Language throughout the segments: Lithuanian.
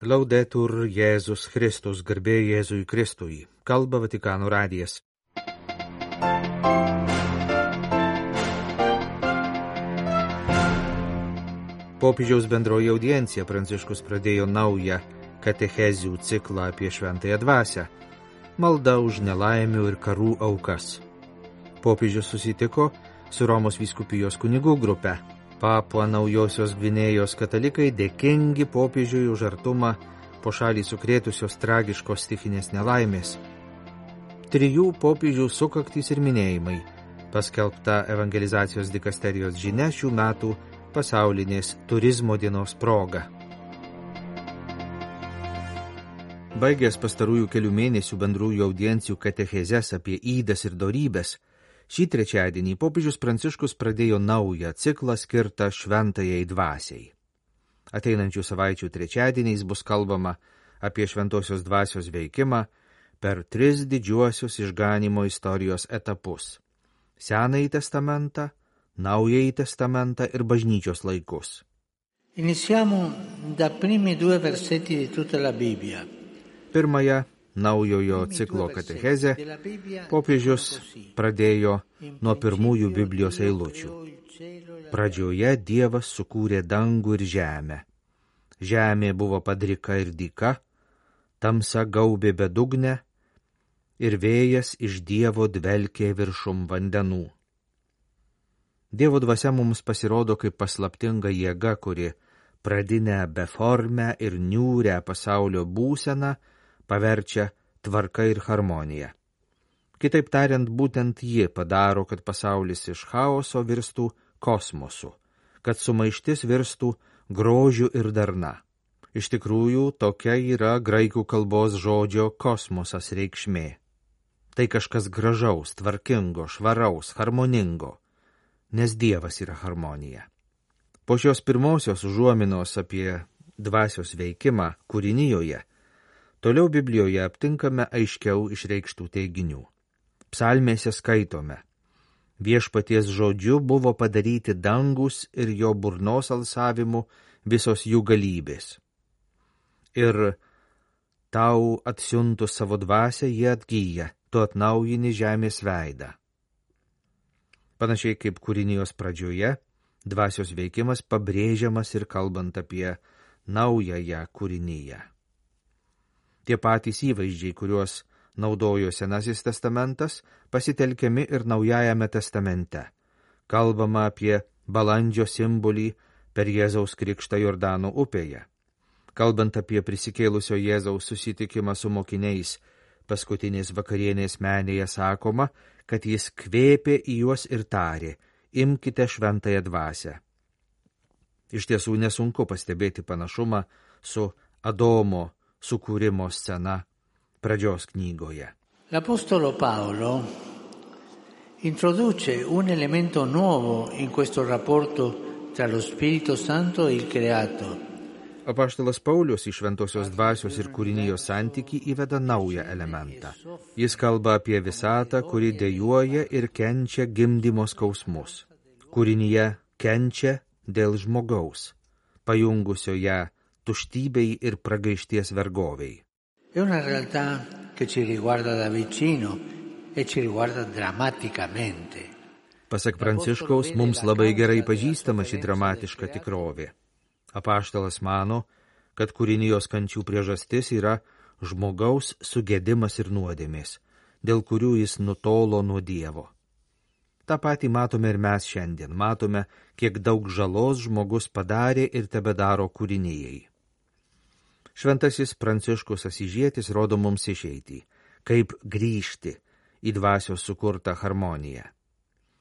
Laudetur Jėzus Kristus, garbė Jėzui Kristui. Kalba Vatikano radijas. Popiežiaus bendroji audiencija Pranciškus pradėjo naują katechezių ciklą apie šventąją dvasią. Malda už nelaimių ir karų aukas. Popiežius susitiko su Romos vyskupijos kunigų grupe. Papua Naujosios Gvinėjos katalikai dėkingi popiežiui už artumą po šalį sukrėtusios tragiškos stichinės nelaimės. 3 popiežių sukaktys ir minėjimai, paskelbta evangelizacijos dikasterijos žinia šių metų pasaulinės turizmo dienos proga. Baigęs pastarųjų kelių mėnesių bendrųjų audiencijų katechezes apie ydas ir dorybes, šį trečiadienį popiežius Pranciškus pradėjo naują ciklą skirtą šventajai dvasiai. Ateinančių savaičių trečiadieniais bus kalbama apie šventosios dvasios veikimą per 3 didžiuosius išganymo istorijos etapus – Senąjį testamentą, Naująjį testamentą ir bažnyčios laikus. Iniziamo da primi 2 versetti di tutta la Bibbia. Pirmąją naujojo ciklo katechezę popiežius pradėjo nuo pirmųjų Biblijos eilučių. Pradžioje Dievas sukūrė dangų ir žemę. Žemė buvo padrika ir dyka, tamsa gaubė bedugnę ir vėjas iš Dievo dvelkė viršum vandenų. Dievo dvasia mums pasirodo kaip paslaptinga jėga, kuri pradinę beformę ir niūrę pasaulio būseną paverčia tvarka ir harmonija. Kitaip tariant, būtent ji padaro, kad pasaulis iš chaoso virstų kosmosu, kad sumaištis virstų grožiu ir darna. Iš tikrųjų, tokia yra graikų kalbos žodžio kosmosas reikšmė. Tai kažkas gražaus, tvarkingo, švaraus, harmoningo, nes Dievas yra harmonija. Po šios pirmosios užuominos apie dvasios veikimą kūrinijoje, toliau Biblijoje aptinkame aiškiau išreikštų teiginių. Psalmėse skaitome: Viešpaties žodžiu buvo padaryti dangus ir jo burnos alsavimu visos jų galybės. Ir tau atsiuntus savo dvasią jie atgyja, tu atnaujini žemės veidą. Panašiai kaip kūrinijos pradžioje, dvasios veikimas pabrėžiamas ir kalbant apie naująją kūriniją. Tie patys įvaizdžiai, kuriuos naudojo Senasis testamentas, pasitelkiami ir Naujajame testamente. Kalbama apie balandžio simbolį per Jėzaus krikštą Jordano upėje. Kalbant apie prisikėlusio Jėzaus susitikimą su mokiniais, paskutinės vakarienės menėje sakoma, kad jis kvėpė į juos ir tarė: imkite šventąją dvasią. Iš tiesų nesunku pastebėti panašumą su Adomo sukūrimo scena pradžios knygoje. L'Apostolo Paolo introduce un elemento nuovo in questo rapporto tra lo Spirito Santo e il creato. Apaštalas Paulius iš šventosios dvasios ir kūrinijos santykį įveda naują elementą. Jis kalba apie visatą, kuri dejuoja ir kenčia gimdymo skausmus. Kūrinyje kenčia dėl žmogaus, pajungusio ją tuštybei ir pragaišties vergoviai. È una realtà che ci riguarda da vicino e ci riguarda drammaticamente. Pasak Pranciškaus, mums labai gerai pažįstama ši dramatiška tikrovė. Apaštalas mano, kad kūrinijos kančių priežastis yra žmogaus sugedimas ir nuodėmės, dėl kurių jis nutolo nuo Dievo. Ta patį matome ir mes šiandien. Matome, kiek daug žalos žmogus padarė ir tebedaro kūrinijai. Šventasis Pranciškus Asyžietis rodo mums išeitį, kaip grįžti į dvasios sukurtą harmoniją.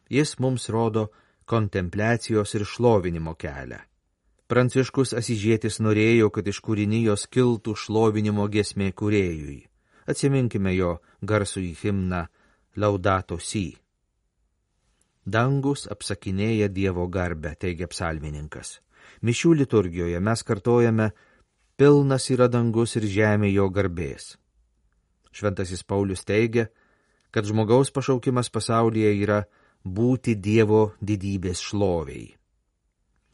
Jis mums rodo kontempliacijos ir šlovinimo kelią. Pranciškus Asyžietis norėjo, kad iš kūrinijos kiltų šlovinimo giesmė kūrėjui. Atsiminkime jo garsųjį himną Laudato Si. Dangus apsakinėja Dievo garbę, teigia psalmininkas. Mišių liturgijoje mes kartojame: pilnas yra dangus ir žemė jo garbės. Šventasis Paulius teigia, kad žmogaus pašaukimas pasaulyje yra būti Dievo didybės šloviai.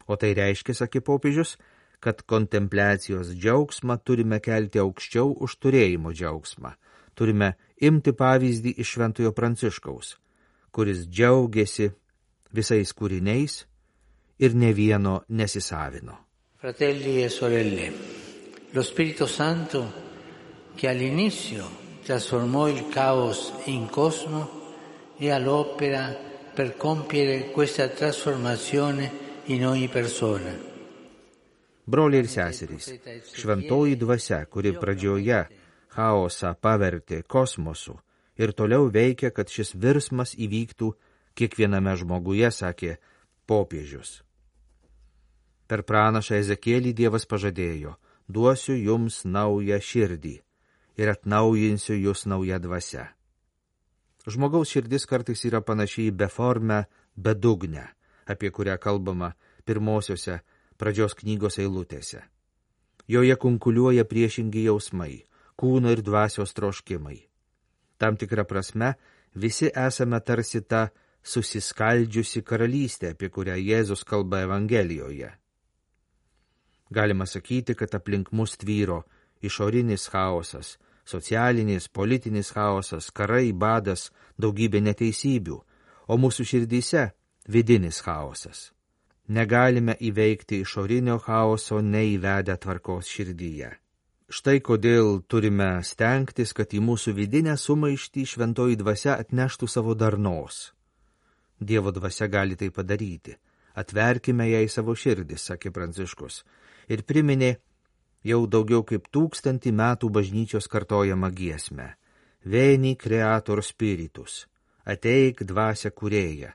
O tai reiškia, sakė popiežius, kad kontempliacijos džiaugsmą turime kelti aukščiau už turėjimo džiaugsmą. Turime imti pavyzdį iš Šventojo Pranciškaus, kuris džiaugiasi visais kūriniais ir ne vieno nesisavino. Fratelli e sorelle, lo Spirito Santo che all'inizio trasformò il caos in cosmo è all'opera per compiere questa trasformazione in ogni persona. Broliai ir seserys, šventoji dvasia, kuri pradžioje chaosą pavertė kosmosu ir toliau veikia, kad šis virsmas įvyktų kiekviename žmoguje, sakė popiežius. Per pranašą Ezekielį Dievas pažadėjo: duosiu jums naują širdį ir atnaujinsiu jūs naują dvasią. Žmogaus širdis kartais yra panašiai į beformę bedugnę, apie kurią kalbama pirmosiose pradžios knygos eilutėse. Joje kunkuliuoja priešingi jausmai, kūno ir dvasios troškimai. Tam tikra prasme, visi esame tarsi ta susiskaldžiusi karalystė, apie kurią Jėzus kalba Evangelijoje. Galima sakyti, kad aplink mus tvyro išorinis chaosas, socialinis, politinis chaosas, karai, badas, daugybė neteisybių, o mūsų širdyse vidinis chaosas. Negalime įveikti išorinio chaoso neįvedę tvarkos širdyje. Štai kodėl turime stengtis, kad į mūsų vidinę sumaištį šventoji dvasia atneštų savo darnos. Dievo dvasia gali tai padaryti. Atverkime jai savo širdis, sakė Pranciškus, ir priminė jau daugiau kaip 1000 metų bažnyčios kartojamą giesmę. Veni creator spiritus, ateik dvasia kūrėja,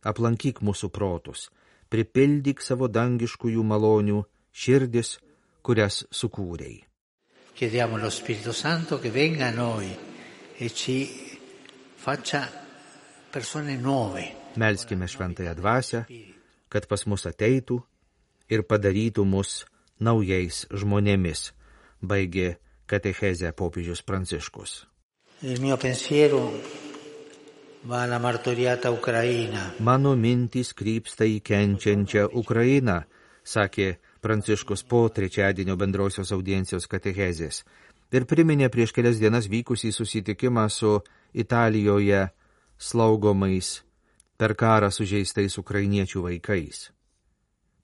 aplankyk mūsų protus, pripildyk savo dangiškųjų malonių širdis, kurias sukūrei. Chiediamo allo Spirito Santo che venga a noi e ci faccia persone nuove. Melskime šventąją dvasią, kad pas mus ateitų ir padarytų mus naujais žmonėmis, baigė katechezę popiežius Pranciškus. Il mio pensiero va alla martoriata Ucraina. Mano mintys krypsta į kenčiančią Ukrainą, sakė Pranciškus po trečiadienio bendrosios audiencijos katechezės ir priminė prieš kelias dienas vykusį susitikimą su Italijoje slaugomais per karą sužeistais ukrainiečių vaikais.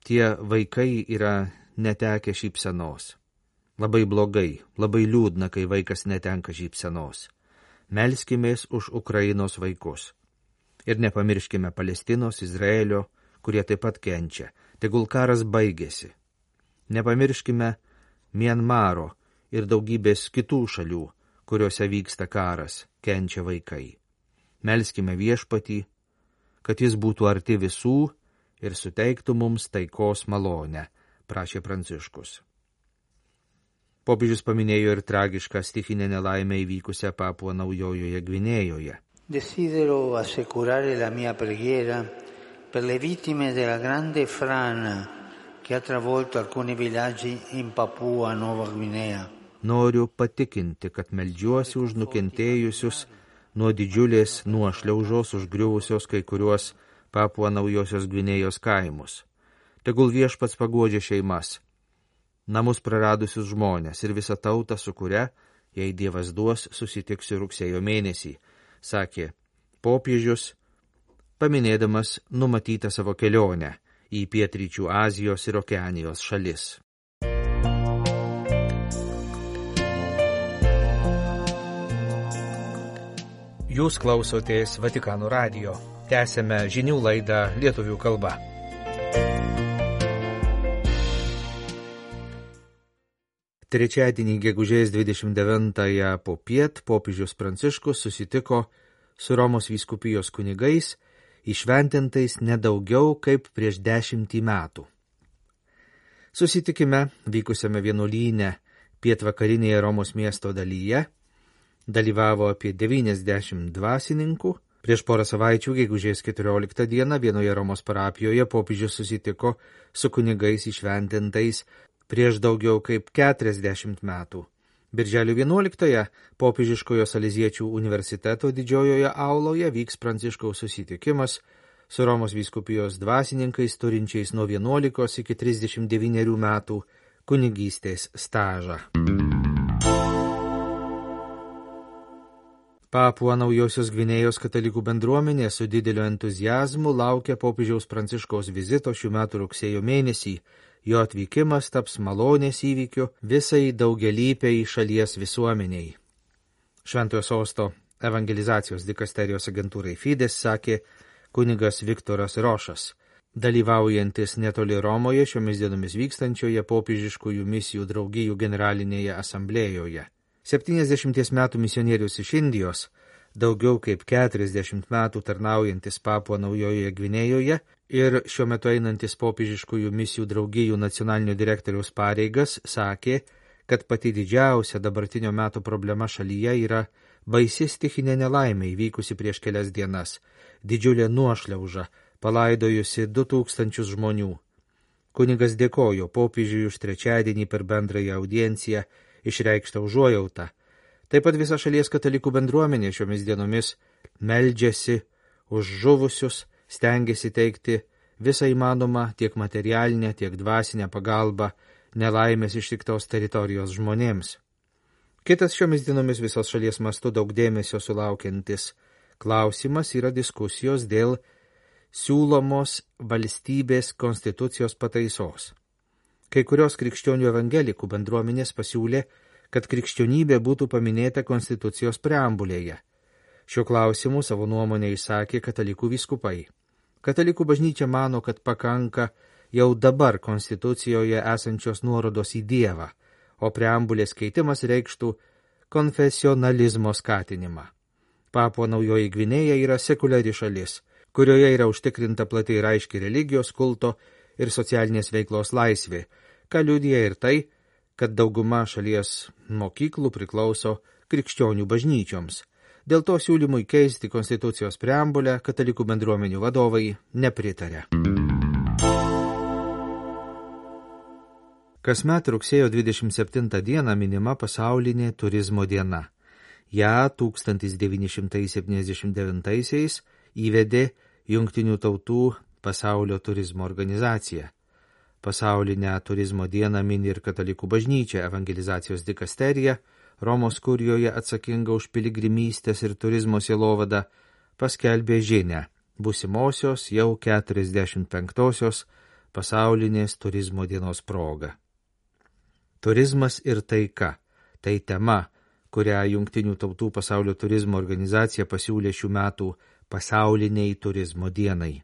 Tie vaikai yra netekę šypsenos. Labai blogai, labai liūdna, kai vaikas netenka šypsenos. Melskimės už Ukrainos vaikus. Ir nepamirškime Palestinos, Izraelio, kurie taip pat kenčia. Tegul karas baigėsi. Nepamirškime Mianmaro ir daugybės kitų šalių, kuriuose vyksta karas, kenčia vaikai. Melskime Viešpatį, kad jis būtų arti visų ir suteiktų mums taikos malonę, prašė Pranciškus. Popiežius paminėjo ir tragišką stichinę nelaimę įvykusią Papua Naujojoje Gvinėjoje. Desidero assicurare la mia preghiera per le vittime della grande frana che ha travolto alcuni villaggi in Papua Nuova Guinea. Noriu patikinti, kad meldžiuosi už nukentėjusius nuo didžiulės nuošliaužos užgriuvusios kai kuriuos Papua Naujosios Gvinėjos kaimus. Tegul Viešpats paguodžia šeimas, namus praradusius žmonės ir visą tautą, su kuria, jei Dievas duos, susitiksiu rugsėjo mėnesį, sakė popiežius, paminėdamas numatytą savo kelionę į pietryčių Azijos ir Okeanijos šalis. Jūs klausotės Vatikano radijo. Tęsėme žinių laidą lietuvių kalba. Trečiadienį gegužės 29-ąją popiet popiežius Pranciškus susitiko su Romos vyskupijos kunigais, įšventintais nedaugiau kaip prieš 10 metų. Susitikime, vykusiame vienuolyne pietvakarinėje Romos miesto dalyje, dalyvavo apie 90 dvasininkų. Prieš porą savaičių, gegužės 14 dieną, vienoje Romos parapijoje popiežius susitiko su kunigais įšventintais prieš daugiau kaip 40 metų. Birželio 11-ąją popiežiškojo Saleziečių universiteto didžiojoje auloje vyks Pranciškaus susitikimas su Romos vyskupijos dvasininkais turinčiais nuo 11 iki 39 metų kunigystės stažą. Papua Naujosios Gvinėjos katalikų bendruomenė su dideliu entuziazmu laukia popiežiaus Pranciškaus vizito šių metų rugsėjo mėnesį. Jo atvykimas taps malonės įvykiu visai daugelypiai šalies visuomeniai. Šventojo Sosto evangelizacijos dikasterijos agentūrai Fides sakė kunigas Viktoras Rošas, dalyvaujantis netoli Romoje šiomis dienomis vykstančioje popiežiškųjų misijų draugijų generalinėje asamblėjoje. 70 metų misionierius iš Indijos, daugiau kaip 40 metų tarnaujantis Papua Naujojoje Gvinėjoje ir šiuo metu einantis popiežiškųjų misijų draugijų nacionalinio direktoriaus pareigas, sakė, kad pati didžiausia dabartinio meto problema šalyje yra baisi stichinė nelaimė įvykusi prieš kelias dienas, didžiulė nuošliauža, palaidojusi 2000 žmonių. Kunigas dėkojo popiežiui už trečiadienį per bendrąją audienciją išreikštą užuojautą. Taip pat visa šalies katalikų bendruomenė šiomis dienomis meldžiasi už žuvusius, stengiasi teikti visą įmanomą tiek materialinę, tiek dvasinę pagalbą nelaimės ištiktos teritorijos žmonėms. Kitas šiomis dienomis visos šalies mastu daug dėmesio sulaukiantis klausimas yra diskusijos dėl siūlomos valstybės konstitucijos pataisos. Kai kurios krikščionių evangelikų bendruomenės pasiūlė, kad krikščionybė būtų paminėta konstitucijos preambulėje. Šiuo klausimu savo nuomonę išsakė katalikų vyskupai. Katalikų bažnyčia mano, kad pakanka jau dabar konstitucijoje esančios nuorodos į Dievą, o preambulės keitimas reikštų konfesionalizmo skatinimą. Papua Naujoji Gvinėja yra sekuliari šalis, kurioje yra užtikrinta plati ir aiški religijos, kulto ir socialinės veiklos laisvė, ką liudija ir tai, kad dauguma šalies mokyklų priklauso krikščionių bažnyčioms. Dėl to siūlymui keisti konstitucijos preambulę katalikų bendruomenių vadovai nepritarė. Kasmet rugsėjo 27 dieną minima pasaulinė turizmo diena. Ja 1979 įvedė Jungtinių tautų pasaulio turizmo organizacija. Pasaulinę turizmo dieną mini ir katalikų bažnyčia, evangelizacijos dikasterija, Romos kurijoje atsakinga už piligrimystės ir turizmo sielovadą, paskelbė žinią būsimosios jau 45-osios pasaulinės turizmo dienos proga. Turizmas ir taika – tai tema, kurią Jungtinių tautų pasaulio turizmo organizacija pasiūlė šių metų pasauliniai turizmo dienai.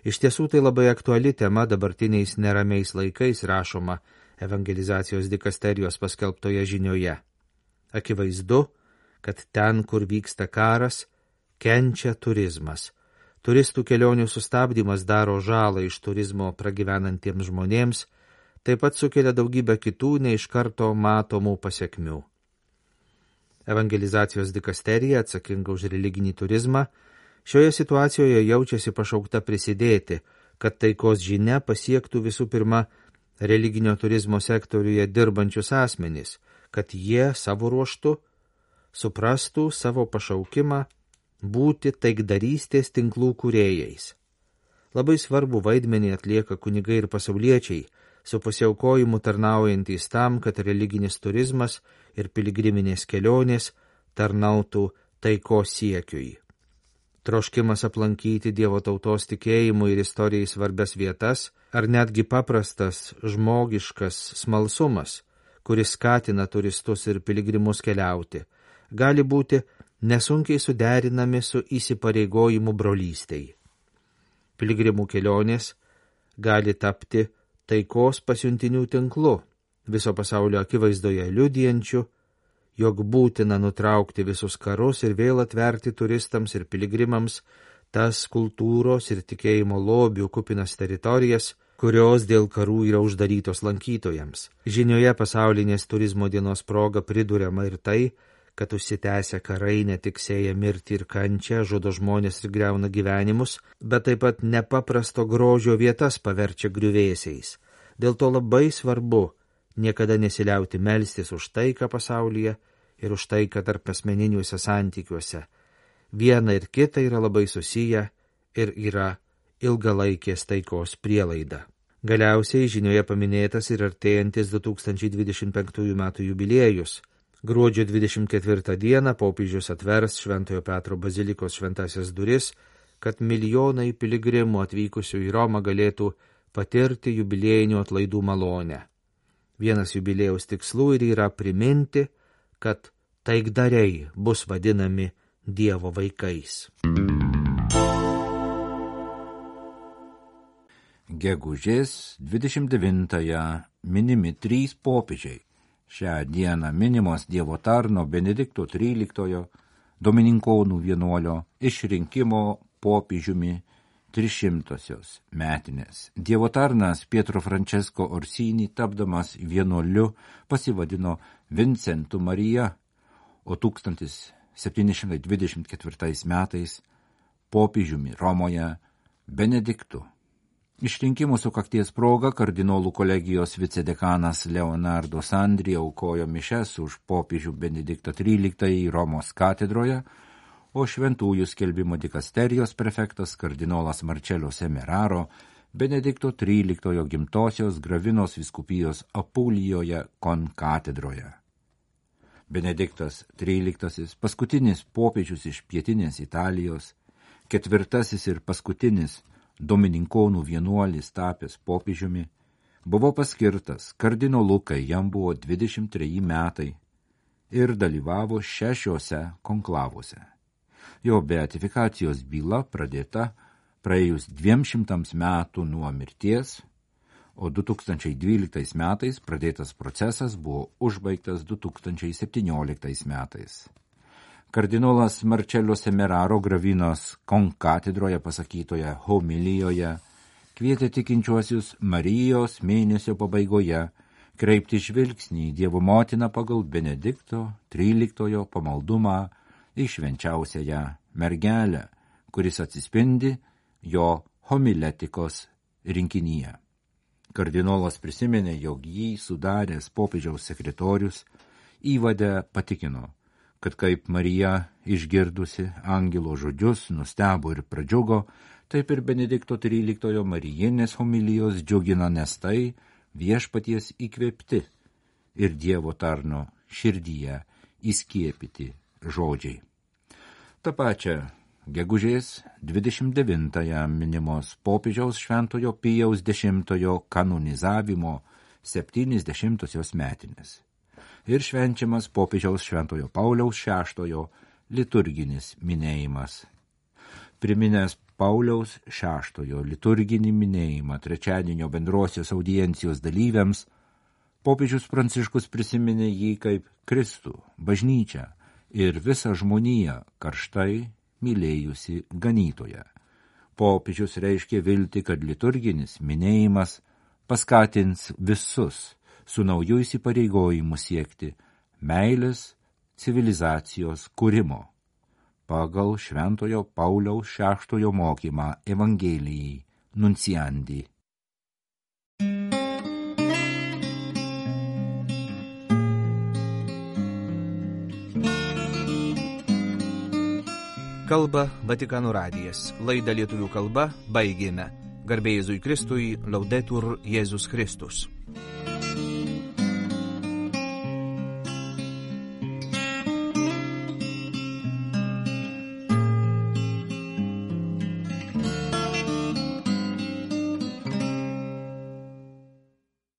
Iš tiesų tai labai aktuali tema dabartiniais neramiais laikais, rašoma evangelizacijos dikasterijos paskelbtoje žinioje. Akivaizdu, kad ten, kur vyksta karas, kenčia turizmas. Turistų kelionių sustabdymas daro žalą iš turizmo pragyvenantiems žmonėms, taip pat sukelia daugybę kitų neiš karto matomų pasekmių. Evangelizacijos dikasterija, atsakinga už religinį turizmą, šioje situacijoje jaučiasi pašaukta prisidėti, kad taikos žinia pasiektų visų pirma religinio turizmo sektoriuje dirbančius asmenys, kad jie savo ruožtu suprastų savo pašaukimą būti taikdarystės tinklų kūrėjais. Labai svarbu vaidmenį atlieka kunigai ir pasauliečiai, su pasiaukojimu tarnaujantys tam, kad religinis turizmas ir piligriminės kelionės tarnautų taikos siekiui. Troškimas aplankyti Dievo tautos tikėjimui ir istorijai svarbias vietas, ar netgi paprastas žmogiškas smalsumas, kuris skatina turistus ir piligrimus keliauti, gali būti nesunkiai suderinami su įsipareigojimu brolystei. Piligrimų kelionės gali tapti taikos pasiuntinių tinklu, viso pasaulio akivaizdoje liudijančiu, jog būtina nutraukti visus karus ir vėl atverti turistams ir piligrimams tas kultūros ir tikėjimo lobių kupinas teritorijas, kurios dėl karų yra uždarytos lankytojams. Žinioje pasaulinės turizmo dienos proga priduriama ir tai, kad užsitęsia karai ne tik sėja mirtį ir kančią, žudo žmonės ir griauna gyvenimus, bet taip pat nepaprasto grožio vietas paverčia griuvėsiais. Dėl to labai svarbu niekada nesiliauti melstis už taiką pasaulyje ir už taiką tarp asmeniniuose santykiuose. Viena ir kita yra labai susiję ir yra ilgalaikės taikos prielaida. Galiausiai žinioje paminėtas ir artėjantis 2025 metų jubiliejus. Gruodžio 24 dieną popiežius atvers Šventojo Petro bazilikos šventasias duris, kad milijonai piligrimų atvykusių į Romą galėtų patirti jubiliejinių atlaidų malonę. Vienas jubiliejaus tikslų ir yra priminti, kad taikdariai bus vadinami Dievo vaikais. Gegužės 29-ąją minimi 3 popiežiai. Šią dieną minimos Dievo tarno Benedikto XIII Domininkonų vienuolio išrinkimo popiežiumi 300-osios metinės. Dievo tarnas Pietro Francesco Orsini, tapdamas vienuoliu, pasivadino Vincentu Marija, o 1724 metais popiežiumi Romoje Benediktu. Išrinkimų sukakties proga kardinolų kolegijos vicedekanas Leonardo Sandri aukojo mišes už popiežių Benediktą XIII Romos katedroje, o šventųjų skelbimo dikasterijos prefektas kardinolas Marcello Semeraro Benedikto XIII gimtosios Gravinos vyskupijos Apulijoje konkatedroje. Benediktas XIII, paskutinis popiežius iš pietinės Italijos, 4. ir paskutinis Domininkonų vienuolis tapęs popiežiumi, buvo paskirtas kardinolu, kai jam buvo 23 metai ir dalyvavo 6 konklavuose. Jo beatifikacijos byla pradėta praėjus 200 metų nuo mirties, o 2012 metais pradėtas procesas buvo užbaigtas 2017 metais. Kardinolas Marcello Semeraro Gravinos konkatedroje pasakytoje homilijoje kvietė tikinčiuosius Marijos mėnesio pabaigoje kreipti žvilgsnį į Dievo motiną pagal Benedikto XIII pamaldumą į švenčiausiąją mergelę, kuris atsispindi jo homiletikos rinkinyje. Kardinolas prisiminė, jog jį sudaręs popiežiaus sekretorius įvade patikino, kad kaip Marija išgirdusi angelo žodžius nustebo ir pradžiugo, taip ir Benedikto XIII marijinės homilijos džiugina, nes tai viešpaties įkvėpti ir Dievo tarno širdyje įskiepyti žodžiai. Ta pačia gegužės 29-ąją minimos popiežiaus Šventojo Pijaus X kanonizavimo 70-osios metinės. Ir švenčiamas popiežiaus Šventojo Pauliaus VI liturginis minėjimas. Priminęs Pauliaus VI liturginį minėjimą trečiadienio bendrosios audiencijos dalyviams, popiežius Pranciškus prisiminė jį kaip Kristų, bažnyčią ir visą žmoniją karštai mylėjusi ganytoją. Popiežius reiškė viltį, kad liturginis minėjimas paskatins visus su nauju įsipareigojimu siekti meilės civilizacijos kūrimo pagal Šventojo Pauliaus VI mokymą Evangelijai Nunciandi. Kalba Vatikano radijas. Laidą lietuvių kalba baigėme. Garbė Jėzui Kristui, Laudetur Jėzus Kristus.